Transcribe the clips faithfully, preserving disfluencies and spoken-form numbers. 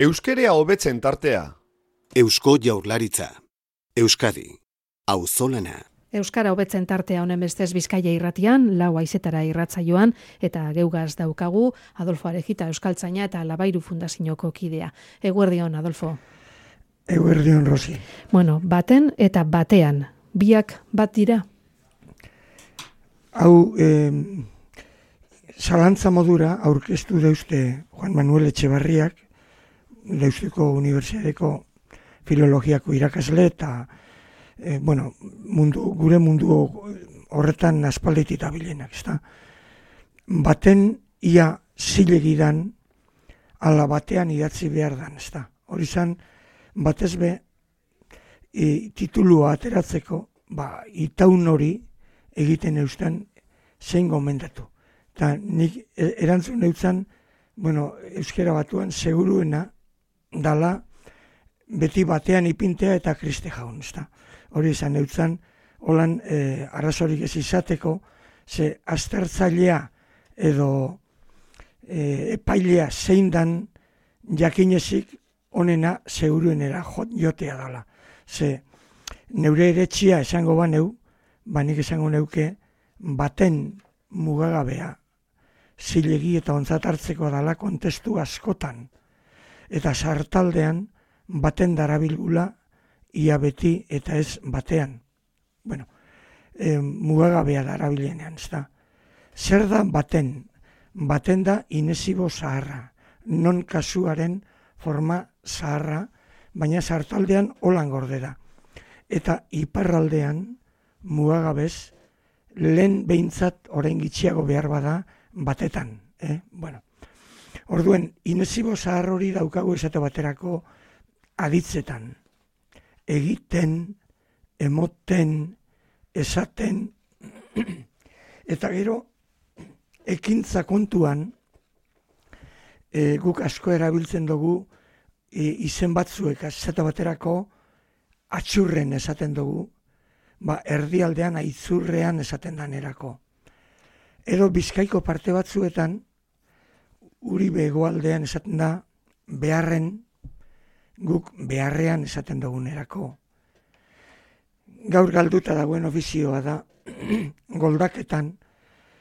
Euskerea hobetzen tartea. Eusko Jaurlaritza. Euskadi. Auzolana. Euskara hobetzen tartea honen bestez Bizkaia irratian, lau haizetara irratsaioan, eta geugaz daukagu Adolfo Arejita Euskaltzaina eta Labairu Fundazioko kidea. Eguerdion, Adolfo. Eguerdion, Rosi. Bueno, baten eta batean, biak bat dira? Hau, eh, zalantza modura aurkeztu deuzte Juan Manuel Etxebarriak, Deustuko Unibertsitateko filologiako irakasle eta e, bueno, mundu, gure mundu horretan aspalditik dabilenak, ezta? Baten ia zilegidan ala batean idatzi behar dan, ezta? Hori zan, batez be e, titulua ateratzeko, ba, itaun hori egiten eustan zein gomendatu. Eta nik erantzun eutzan, bueno, euskera batuan seguruena dala beti batean ipintea eta kriste jaun, ezta? Hori izan eutzan, holan e, arrazorik ez izateko, ze aztertzailea edo e, epailea zein dan jakinezik onena seguruenera jotea dala. Ze neure eretxia esango baneu, banik esango neuke baten mugagabea zilegi eta ontzat hartzeko dala kontestu askotan. Eta sartaldean baten darabilgula ia beti eta ez batean. Bueno, e, mugagabea darabilenean, ez da. Zer da baten? Baten da inesibo zaharra, non kasuaren forma zaharra, baina sartaldean holan gorde da. Eta iparraldean mugagabez lehen behintzat orain gitxiago behar bada batetan. Eh? Bueno. Orduen, inesibo zahar hori daukagu esate baterako aditzetan. Egiten, emoten, esaten, eta gero, ekintza kontuan, e, guk asko erabiltzen dugu e, izen batzuek esate baterako atxurren esaten dugu, ba, erdialdean aitzurrean esaten danerako. Edo Bizkaiko parte batzuetan, Uribe hegoaldean esaten da, beharren, guk beharrean esaten dugunerako. Gaur galduta dagoen ofizioa da, goldaketan,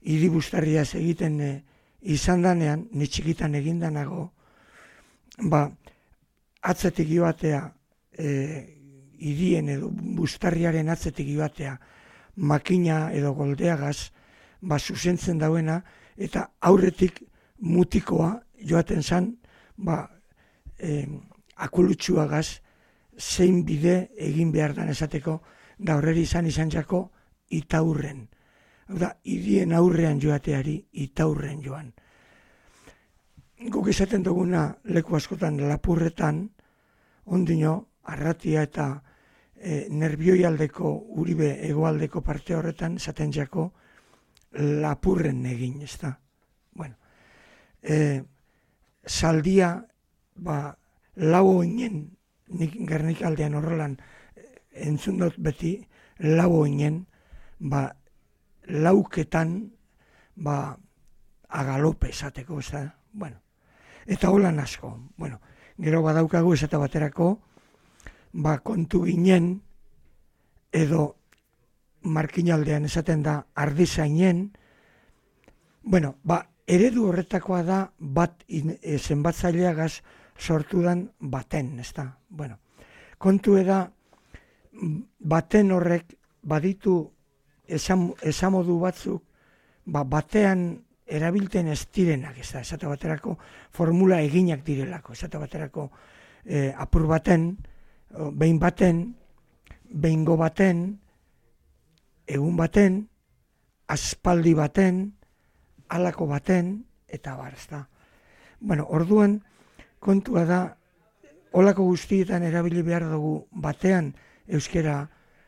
hiribustarriaz egiten e, izan danean, ni txikitan egindanago, ba, atzetik joatea, e, hirien edo bustarriaren atzetik joatea, makina edo goldeagaz, ba, zuzentzen dauena, eta aurretik mutikoa joaten zan, ba, eh, akulutxuagaz zein bide egin behar dan esateko, da horreri izan izan jako itaurren. Hau da, hirien aurrean joateari itaurren joan. Guk esaten duguna leku askotan lapurretan, ondino, arratia eta e, nerbioi aldeko, Uribe hegoaldeko parte horretan, esaten jako lapurren egin, ez da. Bueno. E, saldia, ba, lau oinen, nik Gernika aldean horrelan entzun dut beti, lau oinen, ba, lauketan, ba, agalope esateko, ez da, bueno, eta holan asko, bueno, gero badaukagu esate baterako, ba, kontu ginen, edo markinaldean esaten da ardizainen, bueno, ba, eredu horretakoa da bat e, zenbatzaileagaz sortudan baten, ez da? Bueno, kontu eda baten horrek baditu esam, esamodu batzuk ba, batean erabilten ez direnak, ez da? Esate baterako formula eginak direlako, esate baterako e, apur baten, behin baten, behingo baten, egun baten, aspaldi baten, halako baten, eta bar, ez da. Bueno, orduan, kontua da, holako guztietan erabili behar dugu batean, euskera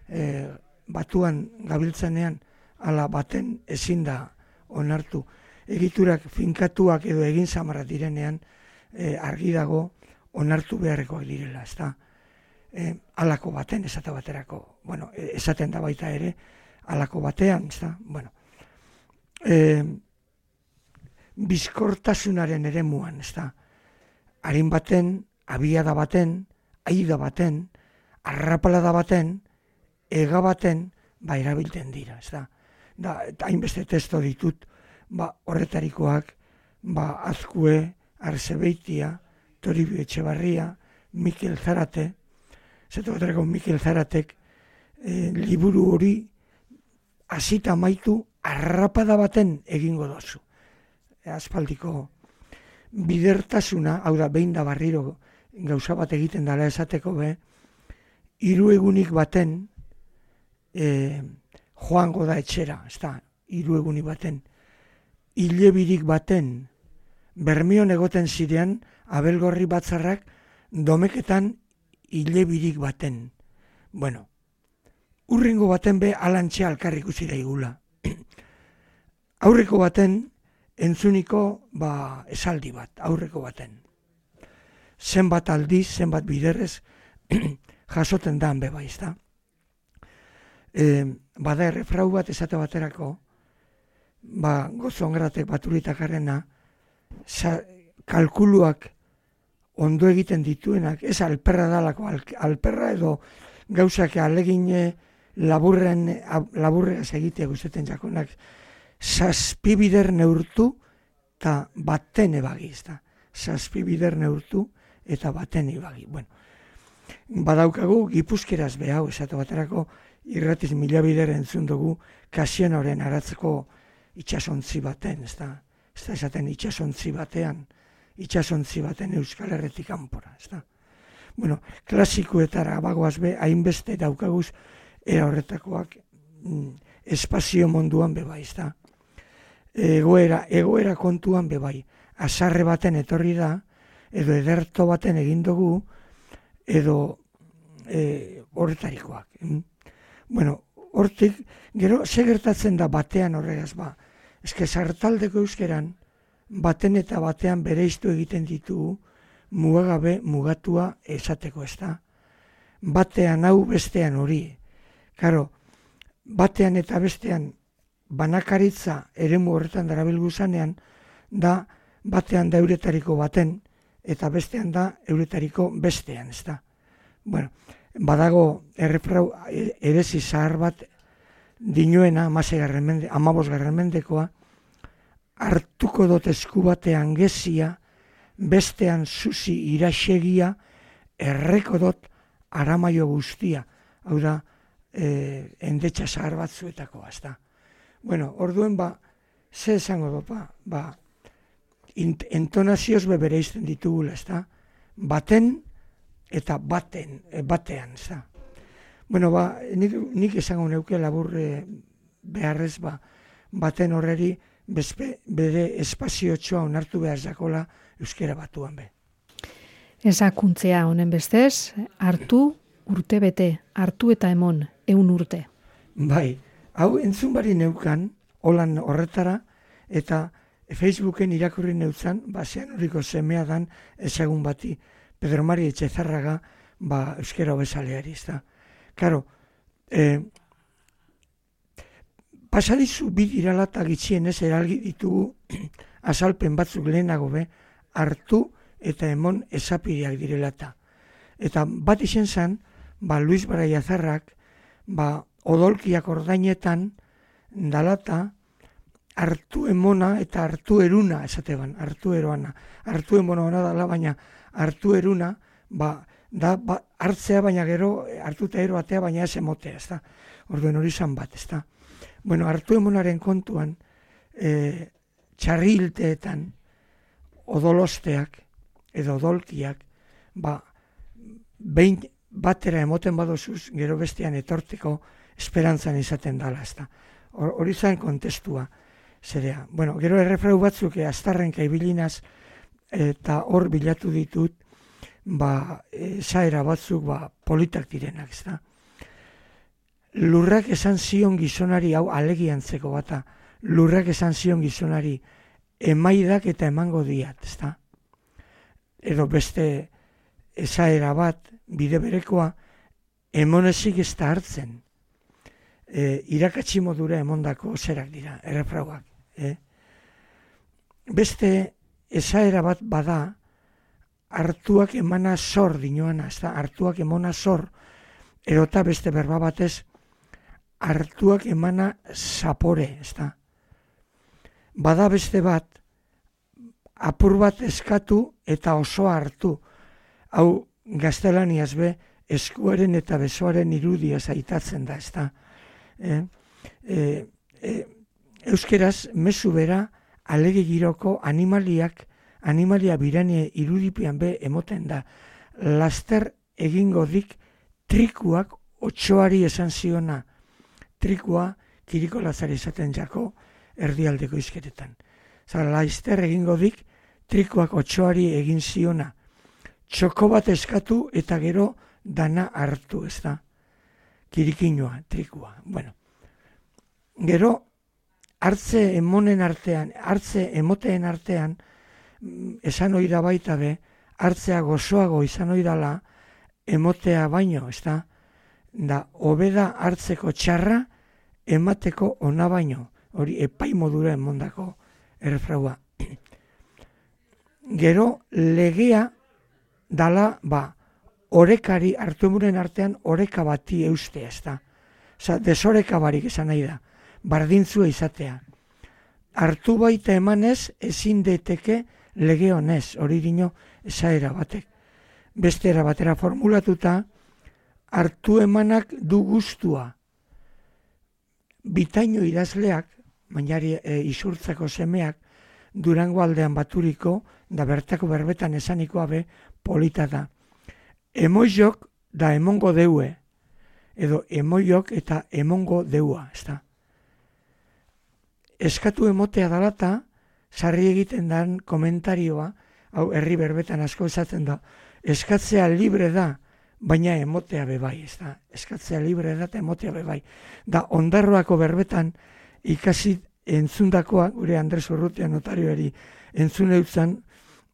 e, batuan gabiltzanean, ala baten ezin da onartu. Egiturak finkatuak edo egin samarra direnean, e, argi dago onartu beharrekoak direla, ez da. E, halako baten, esate baterako, bueno, esaten da baita ere, halako batean, ez da, bueno. E, bizkortasunaren eremuan, ez da. Harin baten abiada baten, aida baten, arrapalada baten, ega baten, ba, erabilten dira, ez da. Da, eta hainbeste testo ditut, ba, horretarikoak, ba, Azkue, Arzebeitia, Toribio Etxebarria, Mikel Zarate, zeto baterako Mikel Zaratek, e, liburu hori hasita maitu arrapada baten egingo dozu. E, aspaldiko bidertasuna, hau da, behin da barriro gauza bat egiten dela esateko be, hiru egunik baten e, joango da etxera, ez da, hiru egunik baten, hilebirik baten, Bermion egoten zirean, Abelgorri batzarrak domeketan hilebirik baten. Bueno, urrengo baten be alantxe alkar ikusi daigula. Aurreko baten entzuniko ba, esaldi bat, aurreko baten. Zenbat aldiz, zenbat biderrez jasoten da hanbe bai, ezta. E, bada errefrau bat esate baterako, ba, gozongratek baturitakarrena, Sa, kalkuluak ondo egiten dituenak, ez alperra dalako, al, alperra edo gauzak alegin laburren, laburreaz egitea guzteten jakonak, zazpibider neurtu eta baten ebagi, ez da. Zazpibider neurtu eta baten ebagi. Bueno, badaukagu gipuzkeraz behau, esatu baterako irratiz mila bider entzun dugu Kasianoren aratzeko itxasontzi baten, ez da. Ez da esaten itxasontzi batean, itxasontzi baten Euskal Herretik kanpora, ez da. Bueno, klasikoetara bagoaz be, hainbeste daukaguz era horretakoak mm, espazio munduan bebai, ez da. Egoera, egoera kontuan bebai, azarre baten etorri da, edo ederto baten egin dugu, edo e, horretarikoak. Mm. Bueno, hortik, gero, ze gertatzen da batean horregaz ba, eske sartaldeko euskeran, baten eta batean bereiztu egiten ditugu, mugagabe mugatua esateko, ez da. Batean hau bestean hori. Karo, batean eta bestean banakaritza eremu horretan darabilgu zanean, da batean da euretariko baten, eta bestean da euretariko bestean, ez da. Bueno, badago errefrau erezi zahar bat, dinuena, amabos garren mendekoa, hartuko dut esku batean gezia, bestean zuzi iraxegia, erreko dut aramaio guztia. Hau da, e, endetxa zahar batzuetakoa, ez da. Bueno, orduen ba, ze esango dut, ba, ba entonazioz bebere izten ditugula, ez da. Baten eta baten, e, batean, ez da. Bueno, ba, nik, nik esango neuke laburre beharrez, ba, baten horreri bezpe, bere espaziotxoa onartu behar zakola euskera batuan be. Ezakuntzea honen bestez, hartu urte bete, hartu eta emon, eun urte. Bai, hau entzun bari neukan, holan horretara, eta Facebooken irakurri neutzan, ba, zean horiko semea dan ezagun bati, Pedro Mari Etxezarraga, ba, euskera hobezaleari, ez da. Karo, eh, pasadizu bidiralata gitxienez eralgi ditugu azalpen batzuk lehenago be, hartu eta emon esapideak direlata. Eta bat izen zen, ba, Luis Baraiazarrak, ba, odolkiak ordainetan dalata hartu emona eta hartu eruna esateban, hartu eroana. Hartu emona ona dala, baina hartu eruna, ba, da, ba, hartzea baina gero, hartu eta ero atea baina ez emotea, ez da. Orduen hori zan bat, ez da. Bueno, hartu emonaren kontuan, e, txarrilteetan, odolosteak, edo odolkiak, ba, behin batera emoten badozuz, gero bestean etorteko esperantzan izaten dala, ez da. Hori zain kontestua, zerea. Bueno, gero errefrau batzuk, aztarrenka ibilinaz, eta hor bilatu ditut, ba, esaera batzuk, ba, politak direnak, ez da. Lurrak esan zion gizonari, hau alegiantzeko bata, lurrak esan zion gizonari, emaidak eta emango diat, ez da. Edo beste esaera bat, bide berekoa, emonezik ez da hartzen. E, irakatsi modura emondako zerak dira, errefrauak. Eh? Beste esaera bat bada, hartuak emana zor dinoana, ez da, hartuak emona zor, erota beste berba batez, hartuak emana zapore, ez da. Bada beste bat, apur bat eskatu eta osoa hartu. Hau gaztelaniaz be, eskuaren eta besoaren irudia zaitatzen da, ez da. E, e, e, euskeraz, mezu bera, alege giroko animaliak, animalia birane irudipian be emoten da. Laster egingo dik trikuak otsoari esan ziona. Trikua kiriko lazari esaten jako erdialdeko izketetan. Zara, laster egingo dik trikuak otsoari egin ziona. Txoko bat eskatu eta gero dana hartu, ez da. Kirikinoa, trikua. Bueno. Gero, hartze emonen artean, hartze emoteen artean, esan oida baita be, hartzea gozoago izan oidala, emotea baino, ez da, da, hobeda hartzeko txarra, emateko ona baino, hori epai modura emondako erfraua. Gero, legea, dala, ba, orekari, hartu emuren artean, oreka bati eustea, ez da. Osa, desoreka barik esan nahi da, bardintzua izatea. Hartu baita emanez, ezin daiteke lege honez, hori dino esaera batek. Beste era batera formulatuta, hartu emanak du gustua. Bitaino idazleak, mainari e, isurtzako semeak, Durango aldean baturiko, da bertako berbetan esanikoa be, polita da. Emoiok da emongo deue, edo emoiok eta emongo deua, ez da. Eskatu emotea dalata, sarri egiten dan komentarioa, hau herri berbetan asko esaten da, eskatzea libre da, baina emotea bebai, ez da. Eskatzea libre da eta emotea bebai. Da ondarroako berbetan ikasi entzundakoa, gure Andres Urrutia notarioari entzun eutzan,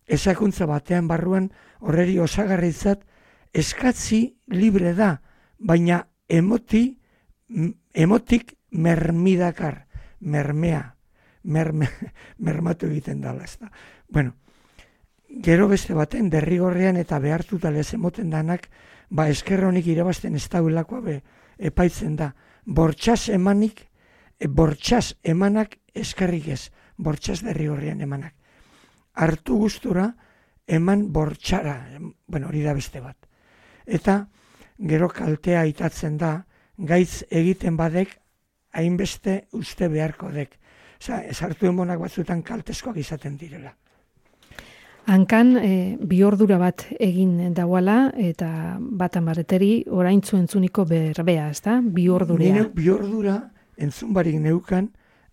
esakuntza batean barruan horreri osagarritzat, eskatzi libre da, baina emoti, emotik mermidakar, mermea, merme, mermatu egiten dala, ez da. Bueno, gero beste baten, derrigorrean eta behartuta lez emoten danak, ba eskerronik irabazten ez dauelakoa be, epaitzen da. Bortxaz emanik, e, bortxaz emanak eskerrik ez, bortxaz derrigorrean emanak. Hartu gustura, eman bortxara, bueno, hori da beste bat. Eta gero kaltea itatzen da, gaitz egiten badek, hainbeste uste beharko dek. Osa, ez hartu emonak batzutan kaltezkoak izaten direla. Hankan, e, bi ordura bat egin dauala, eta batan bareteri, oraintzu entzuniko berbea, ez da? Bi ordurea. Nire bi ordura entzun barik neukan,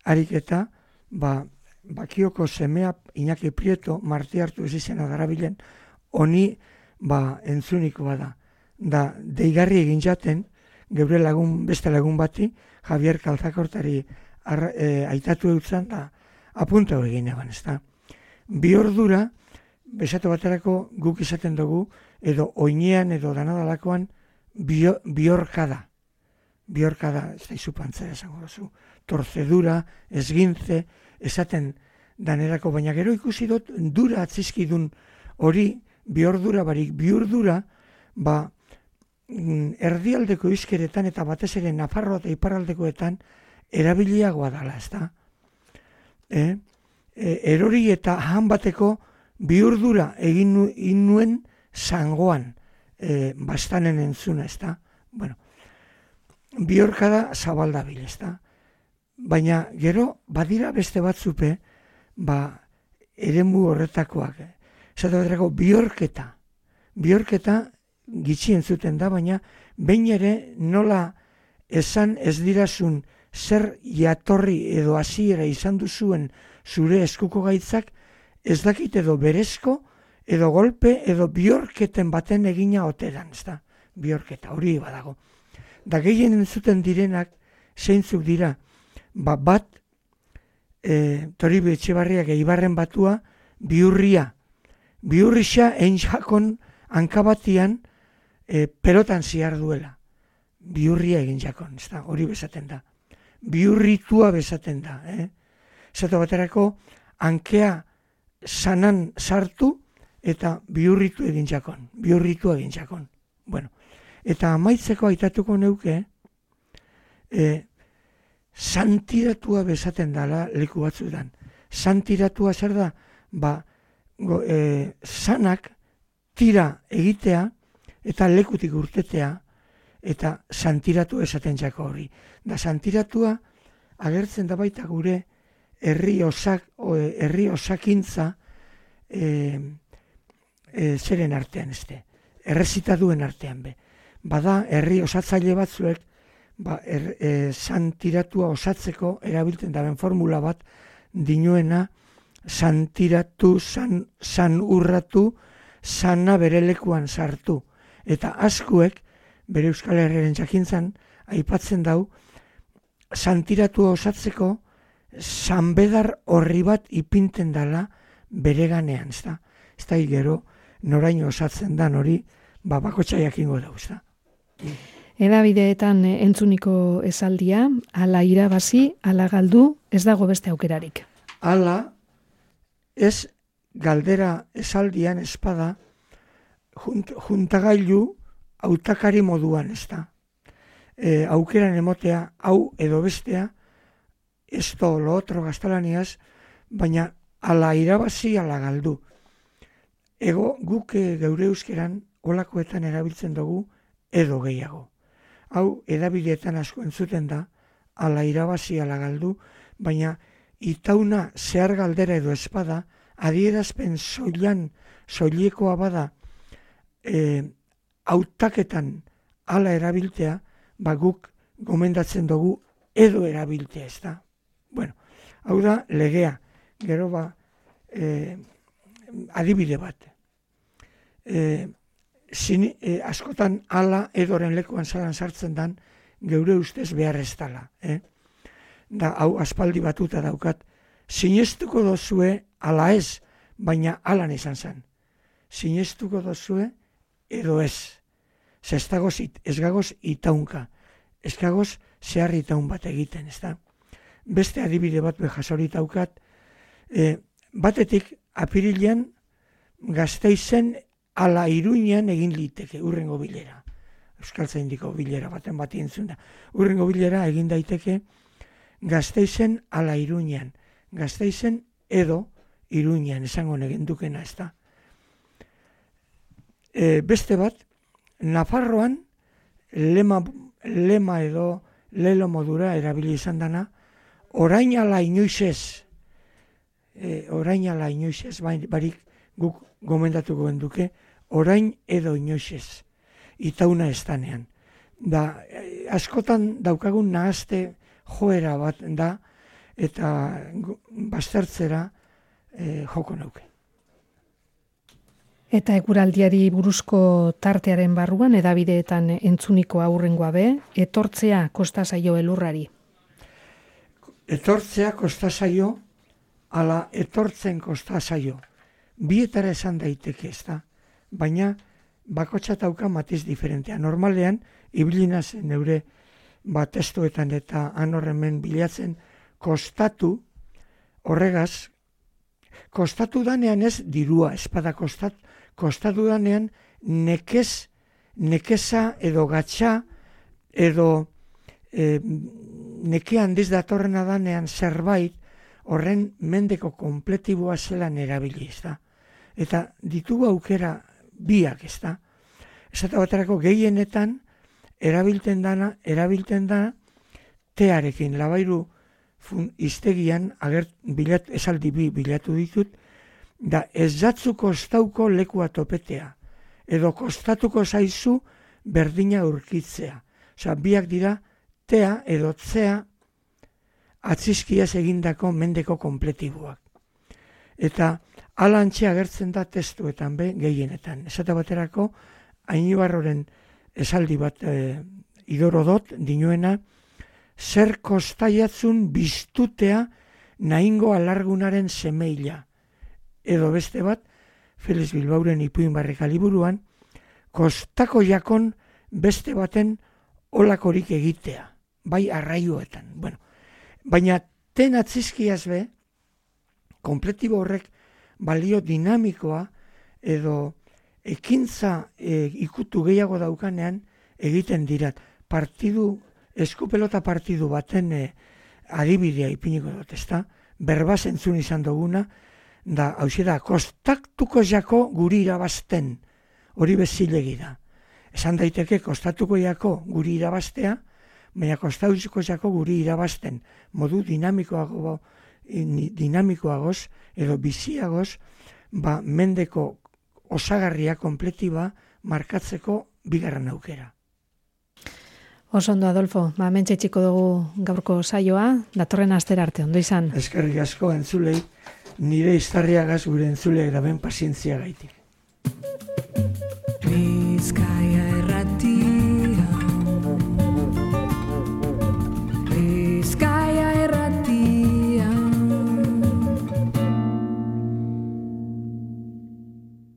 harik eta, ba, bakioko semea Iñaki Prieto, marti hartu ez izena darabilen, honi, ba, entzuniko bada. Da, deigarri egin jaten, geure lagun, beste lagun bati, Javier Kalzakortari ar, e, aitatu eutzan, da, apunta egin eban, ez da. Bi ordura, besatu baterako guk izaten dugu, edo oinean edo danadalakoan, bio, biorkada. Biorkada, ez da izu pantzera esango duzu. Torcedura, esgintze, esaten danerako, baina gero ikusi dut, dura atzizkidun hori, biordura barik, biurdura, ba, erdialdeko izkeretan eta batez ere Nafarroa eta iparraldekoetan erabiliagoa dala, ez da? E, e, erori eta han bateko biurdura egin nu, nuen zangoan e, bastanen entzuna, ez da? Bueno, biorkada zabaldabil, ez da? Baina gero badira beste batzupe, ba, eremu horretakoak. Zatu baterako biorketa. Biorketa gitxi entzuten da, baina behin ere nola esan ez dirazun zer jatorri edo hasiera izan duzuen zure eskuko gaitzak, ez dakit edo berezko, edo golpe, edo biorketen baten egina oteran, ez da, biorketa, hori badago. Da gehien entzuten direnak, zeintzuk dira, ba, bat, e, Toribio Etxebarriak eibarren batua, biurria. Biurrisa egin jakon hankabatian, E, pelotan ziar duela. Biurria egin jakon, ez da, hori bezaten da. Biurritua bezaten da. Eh? Zato baterako, hankea sanan sartu eta bihurritu egin jakon, bihurritu egin jakon. Bueno, eta amaitzeko aitatuko neuke, e, santiratua bezaten dala leku batzuetan. Santiratua zer da, ba, go, e, sanak tira egitea eta lekutik urtetea eta santiratu esaten jako hori. Da santiratua agertzen da baita gure herri osak, o, herri osakintza e, e, zeren artean este, errezitaduen artean be. Bada herri osatzaile batzuek ba, er, e, santiratua osatzeko erabiltzen daren formula bat dinuena santiratu, san, san urratu, sana bere lekuan sartu. Eta askuek, bere Euskal Herriaren jakintzan, aipatzen dau, santiratua osatzeko sanbedar horri bat ipinten dala bere ganean, ez da? Ez da gero, noraino osatzen dan hori, ba, bakotxa jakingo dau, ez da? Edabideetan entzuniko esaldia, ala irabazi, ala galdu, ez dago beste aukerarik. Ala, ez galdera esaldian espada, junt, juntagailu hautakari moduan, ez da. E, aukeran emotea, hau edo bestea, esto lo otro gaztelaniaz, baina ala irabazi, ala galdu. Ego guk geure euskeran olakoetan erabiltzen dugu edo gehiago. Hau edabideetan asko entzuten da, ala irabazi, ala galdu, baina itauna zehar galdera edo espada, adierazpen soilan, soilekoa bada, e, hautaketan ala erabiltea, ba guk gomendatzen dugu edo erabiltea, ez da. Bueno, hau da legea, gero ba, e, adibide bat. E, zini, e, askotan ala edoren lekuan zalan sartzen dan, geure ustez behar ez dala. Eh? Da, hau aspaldi batuta daukat, sinestuko dozue ala ez, baina alan izan zen. Sinestuko dozue edo ez. Ez dagoz, ez gagoz itaunka. Ez gagoz zehar itaun bat egiten, ez da. Beste adibide bat behasorit daukat, e, batetik apirilean Gasteizen ala Iruñean egin liteke urrengo bilera. Euskaltzaindiko bilera baten bat entzun da. Urrengo bilera egin daiteke Gasteizen ala Iruñean. Gasteizen edo Iruñean esango negendukena, ez da. E, beste bat, Nafarroan lema, lema edo lelo modura erabili izan dana, orain ala inoizez, e, orain ala inoizez, barik guk gomendatuko genduke, orain edo inoizez, itauna ez danean. Da, e, askotan daukagun nahazte joera bat da, eta baztertzera e, joko nauke. Eta eguraldiari buruzko tartearen barruan, edabideetan entzuniko aurrengoa be, etortzea kosta zaio elurrari. Etortzea kosta zaio, ala etortzen kosta zaio. Bietara esan daiteke ez da, baina bakotxa dauka matiz diferentea. Normalean, ibilina zen neure bat testuetan eta anorremen bilatzen kostatu, horregaz, kostatu danean ez dirua, espada kostatu, kostatu danean nekez, nekeza edo gatxa edo e, neke handiz datorrena danean zerbait horren mendeko kompletiboa zelan erabili, ez da. Eta ditugu aukera biak, ez da. Esate baterako gehienetan erabilten dana, erabilten da tearekin, labairu fun, iztegian agert, bilat, esaldi bi bilatu ditut, da ez jatzu kostauko lekua topetea, edo kostatuko zaizu berdina urkitzea. Osa, biak dira tea edo tzea atzizkiaz egindako mendeko kompletiboak. Eta alantxe agertzen da testuetan be gehienetan. Esate baterako, Ainibarroren esaldi bat e, idorodot dinuena, zer kostaiatzun biztutea nahingo alargunaren semeila. Edo beste bat, Felix Bilbauren ipuin barreka liburuan, kostako jakon beste baten olakorik egitea, bai arraioetan. Bueno, baina ten atzizkiaz be, kompletibo horrek balio dinamikoa edo ekintza e, ikutu gehiago daukanean egiten dirat. Partidu, eskupelota partidu baten e, adibidea ipiniko dut, ezta? Berbaz entzun izan duguna, da, hauxe da, kostatuko jako guri irabazten, hori bezilegi da. Esan daiteke, kostatuko jako guri irabaztea, baina kostatuko jako guri irabazten, modu dinamikoago, dinamikoagoz, edo biziagoz, ba, mendeko osagarria, kompletiba, markatzeko bigarren aukera. Oso ondo, Adolfo, ba, mentxe txiko dugu gaurko saioa, datorren astera arte, ondo izan. Eskerrik asko entzulei, nire iztarriagaz gure entzulei eraben pazientzia gaitik.